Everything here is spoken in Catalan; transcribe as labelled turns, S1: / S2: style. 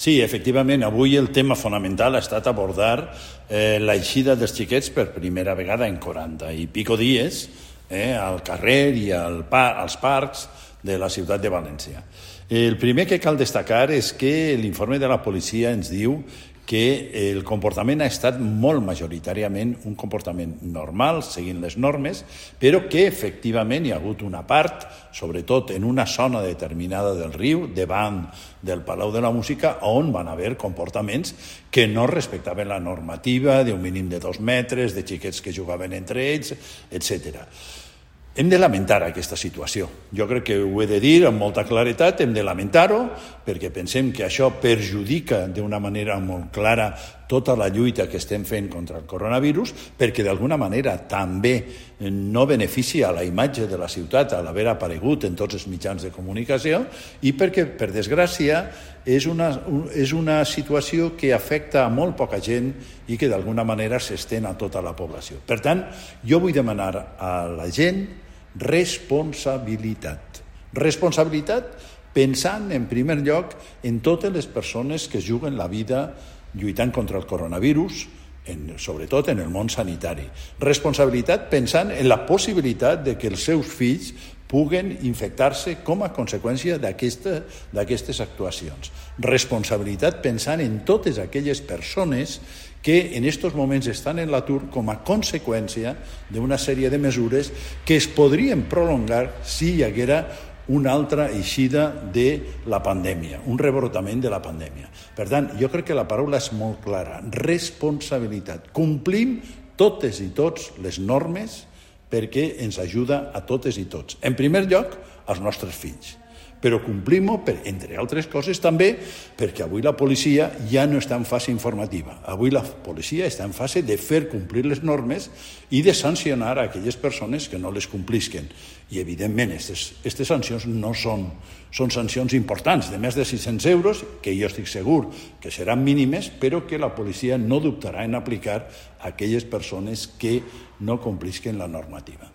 S1: Sí, efectivament, avui el tema fonamental ha estat abordar l'eixida dels xiquets per primera vegada en 40 i pico dies al carrer i als parcs de la ciutat de València. El primer que cal destacar és que l'informe de la policia ens diu que el comportament ha estat molt majoritàriament un comportament normal, seguint les normes, però que efectivament hi ha hagut una part, sobretot en una zona determinada del riu, davant del Palau de la Música, on van haver comportaments que no respectaven la normativa d'un mínim de 2 metres, de xiquets que jugaven entre ells, etc. Hem de lamentar aquesta situació. Jo crec que ho he de dir amb molta claretat, hem de lamentar-ho, perquè pensem que això perjudica d'una manera molt clara tota la lluita que estem fent contra el coronavirus, perquè d'alguna manera també no beneficia la imatge de la ciutat a l'haver aparegut en tots els mitjans de comunicació i perquè, per desgràcia, és una situació que afecta a molt poca gent i que d'alguna manera s'estén a tota la població. Per tant, jo vull demanar a la gent responsabilitat. Responsabilitat pensant, en primer lloc, en totes les persones que juguen la vida lluitant contra el coronavirus, sobretot en el món sanitari. Responsabilitat pensant en la possibilitat de que els seus fills puguen infectar-se com a conseqüència d'aquestes actuacions. Responsabilitat pensant en totes aquelles persones que en aquests moments estan en l'atur com a conseqüència d'una sèrie de mesures que es podrien prolongar si hi haguera una altra eixida de la pandèmia, un rebrotament de la pandèmia. Per tant, jo crec que la paraula és molt clara, responsabilitat. Complim totes i tots les normes perquè ens ajuda a totes i tots. En primer lloc, als nostres fills. Però complim-ho, entre altres coses, també perquè avui la policia ja no està en fase informativa. Avui la policia està en fase de fer complir les normes i de sancionar aquelles persones que no les complisquen. I, evidentment, aquestes sancions no són sancions importants, de més de 600 euros, que jo estic segur que seran mínimes, però que la policia no dubtarà en aplicar a aquelles persones que no complisquen la normativa.